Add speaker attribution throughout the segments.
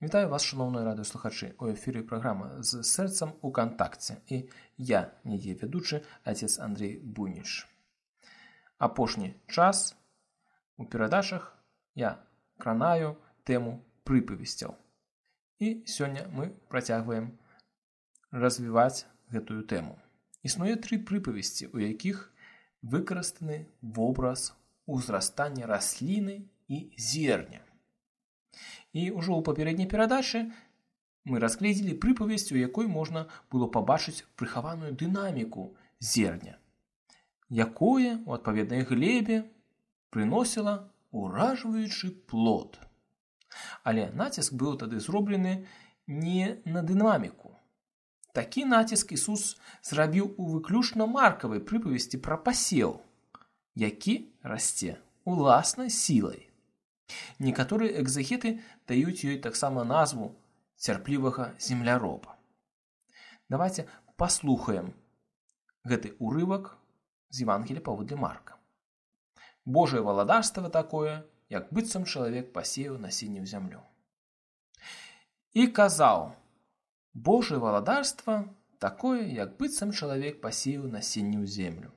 Speaker 1: Вітаю вас, шановні радыёслухачы. У эфіры праграма з сэрцам у кантакце. І я, яе вядучы, отец Андрей Буйніч. Апошні час у перадачах я кранаю тэму прыпавесцяў. І сёння мы працягваем развіваць гэтую тэму. Існуе 3 прыпавесці, у якіх выкарыстаны вобраз узрастання расліны і зерня. І ўжо ў папярэдняй перадачы мы разгледзелі прыпавесць, у якой можна было пабачыць прыхаваную дынаміку зерня, якое у адпаведнай глебе прыносіла ўражваючы плод. Але націск быў тады зроблены не на дынаміку. Такі націск Ісус зрабіў у выключна маркавай прыпавесці пра пасеў, які расце уласнай сілай. Некаторыя экзегеты даюць ёй таксама назву цярплівага земляроба. Давайте паслухаем гэты урывак з Евангелія паводле Марка. Божае валадарства такое, як быццам чалавек пасеяў насенне ў зямлю. І казаў: Божае валадарства такое, як быццам чалавек пасеяў насенне ў землю.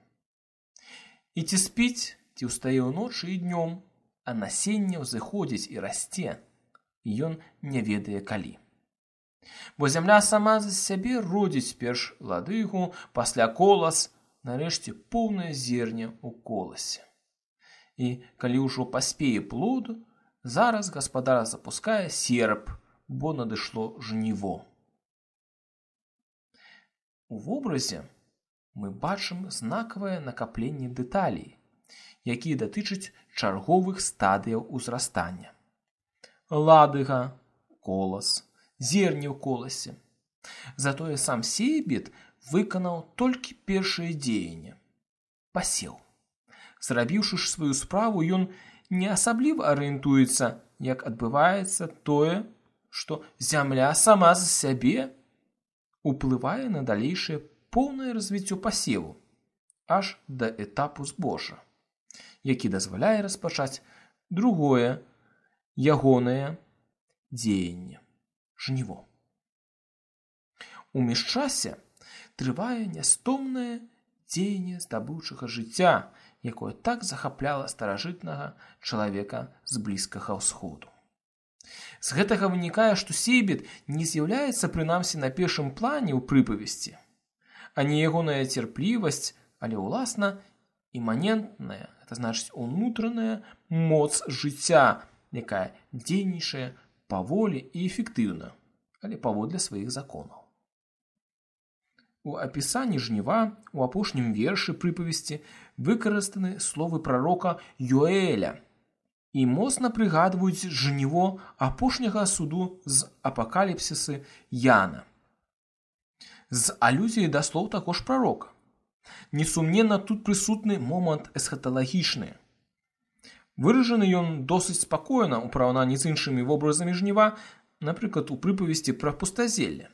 Speaker 1: І ці спіць, ці ўстае ўночы і днём, а насенне ўзыходзіць і расце, і ён не ведае калі. Бо зямля сама за сябе родзіць перш ладыгу, пасля колас, нарэшце поўнае зерня ў коласе. І калі ўжо паспее плод, зараз гаспадар запускае серп, бо надышло жніво. У вобразе мы бачым знакавае накапленне дэталей, якія датычаць чарговых стадыяў узрастання. Ладыга, колас, зерне ў коласе. Затое сам сейбіт выканаў толькі першае дзеянне – пасеў. Зрабіўшы ж сваю справу, ён не асабліва арыентуецца, як адбываецца тое, што зямля сама за сябе уплывае на далейшае поўнае развіццё пасеву, аж да этапу збожжа, які дазваляе распачаць другое ягонае дзеянне – жніво. У міжчасе трывае нястомнае дзеянне здабыўчага жыцця, якое так захапляла старажытнага чалавека з Блізкага ўсходу. З гэтага вынікае, што сейбіт не з'яўляецца прынамсі на першым плане ў прыпавесці, а не ягоная цярплівасць, але ўласна іманентная, гэта значыць унутраная моц жыцця, якая дзейнічае паволі і эфектыўна, але паводле сваіх законаў. У апісанні жніва у апошнім вершы прыпавесці выкарыстаны словы прарока Йоэля і моцна прыгадваюць жніво апошняга суду з апакаліпсісы Яна. З алюзіяй да слоў таго ж прарока. Несумненна, тут прысутны момант эсхаталагічны. Выражаны ён досыць спакойна ў параўнанні з іншымі вобразамі жніва, напрыклад, у прыпавесці пра пустазелле.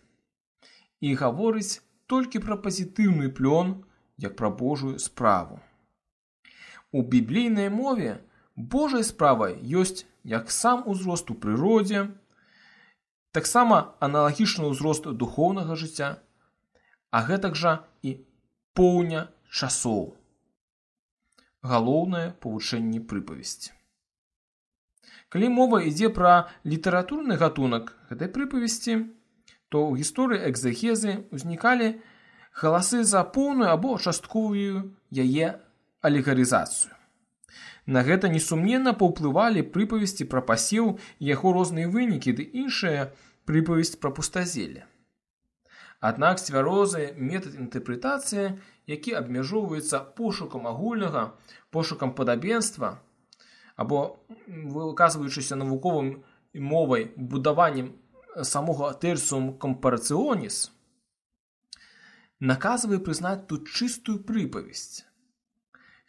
Speaker 1: І гаворыць толькі пра пазітыўны плён, як пра Божую справу. У біблійнай мове Божай справай ёсць як сам узрост у прыродзе, таксама аналагічны ўзрост духоўнага жыцця, а гэтак жа і поўня часоў. Галоўнае павучэнне прыпавесці. Калі мова ідзе пра літаратурны гатунак гэтай прыпавесці, то ў гісторыі экзегезы ўзнікалі галасы за поўную або частковую яе алегарызацыю. На гэта несумненна паўплывалі прыпавесці пра пасеў і яго розныя вынікі ды іншая прыпавесць пра пустазелле. Аднак цвярозы метад інтэрпрэтацыі, які абмяжоўваецца пошукам агульнага, пошукам падабенства або выказваючыся навуковым мовай будаваннем самога тэрсум кампарацыоніс, наказвае прызнаць тут чыстую прыпавесць.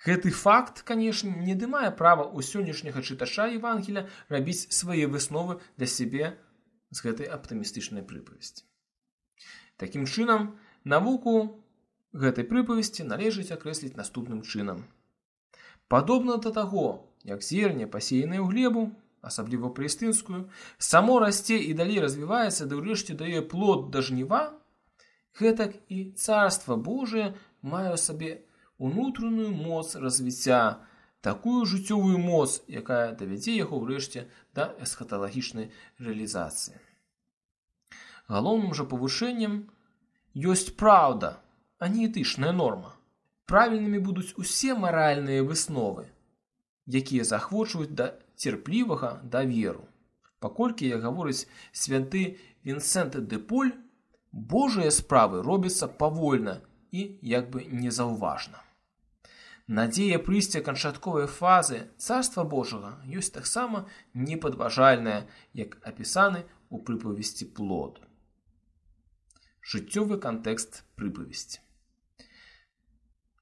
Speaker 1: Гэты факт, канешне, не мае права ў сённяшняга чытача Евангелія рабіць свае высновы для сябе з гэтай аптымістычнай прыпавесці. Такім чынам, навуку гэтай прыпавесці належыць акрэсліць наступным чынам. Падобна да таго, як зерне пасеянае ў глебу, асабліва палестынскую, само расце і далей развіваецца, да ўрэшце дае плод да жніва, гэтак і Царства Божие мае ў сабе унутраную моц развіцця, такую жыццёвую моц, якая давядзе яго ўрэшце да эсхаталагічнай рэалізацыі. Галоўным жа павышэннем ёсць праўда, а не этычная норма. Правільнымі будуць усе маральныя высновы, якія захвочваюць да цярплівага даверу. Паколькі, як гаворыць святы Вінсент де Поль, Божыя справы робяцца павольна і як бы незаўважна. Надзея прыйсця канчатковай фазы Царства Божага ёсць таксама непадважальная, як апісаны ў прыпавесці плод. Жыццёвы кантэкст прыпавесці.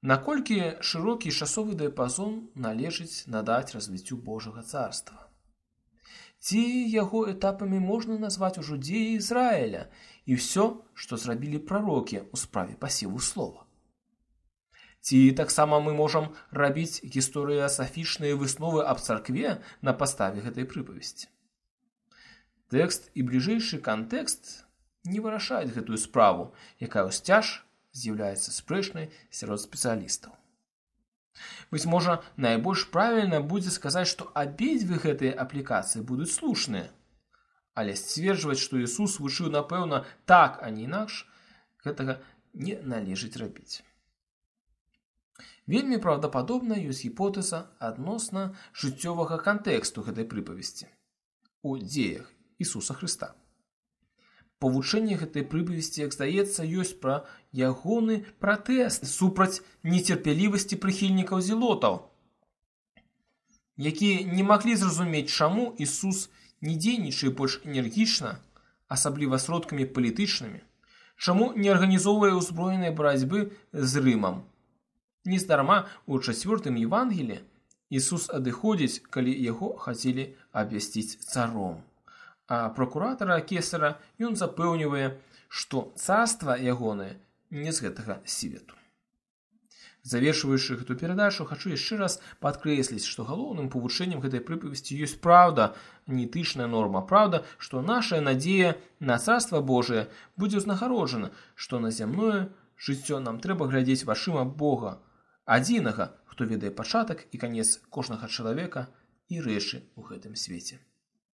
Speaker 1: Наколькі шырокі часовы дыяпазон належыць надаць развіццю Божага царства? Ці яго этапамі можна назваць ужо дзеі Ізраіля і ўсё, што зрабілі прарокі ў справе пасеву слова? Ці таксама мы можам рабіць гісторыясафічныя высновы аб царкве на падставе гэтай прыпавесці? Тэкст і бліжэйшы кантэкст не вырашаюць гэтую справу, якая ўсцяж з'яўляецца спрэчнай сярод спецыялістаў. Быць можа, найбольш правільна будзе сказаць, што абедзве гэтыя аплікацыі будуць слушныя, але сцверджваць, што Ісус вучыў, напэўна, так, а не інакш, гэтага не належыць рабіць. Вельмі праўдападобна ёсць гіпотэза адносна жыццёвага кантэксту гэтай прыпавесці у дзеях Ісуса Хрыста. Павучэнне гэтай прыпавесці, як здаецца, ёсць пра ягоны пратэст супраць нецярпялівасці прыхільнікаў зелотаў, якія не маглі зразумець, чаму Ісус не дзейнічае больш энергічна, асабліва сродкамі палітычнымі, чаму не арганізоўвае ўзброенай барацьбы з Рымам. Нездарма ў 4 Евангеліі Ісус адыходзіць, калі яго хацелі абвясціць царом. А пракуратара Кесара ён запэўнівае, што царства ягонае не з гэтага свету. Завершваючы гэту перадачу, хачу яшчэ раз падкрэсліць, што галоўным павучэннем гэтай прыпавесці ёсць праўда, не этычная норма. Праўда, што нашая надзея на Царства Божие будзе ўзнагароджана, што на зямное жыццё нам трэба глядзець вачыма Бога, адзінага, хто ведае пачатак і канец кожнага чалавека і рэчы ў гэтым свеце.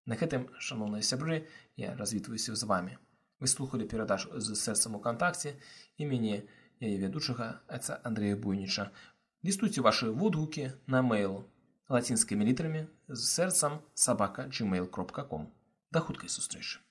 Speaker 1: На гэтым, шаноўныя сябры, я развітваюся з вамі. Вы слухалі перадачу з сэрцам у кантакце і мяне, яе вядучага, отца Андрэя Буйніча. Лістуйце вашы водгукі на мейл лацінскімі літарамі з сэрцам @gmail.com. Да хуткай сустрэчы.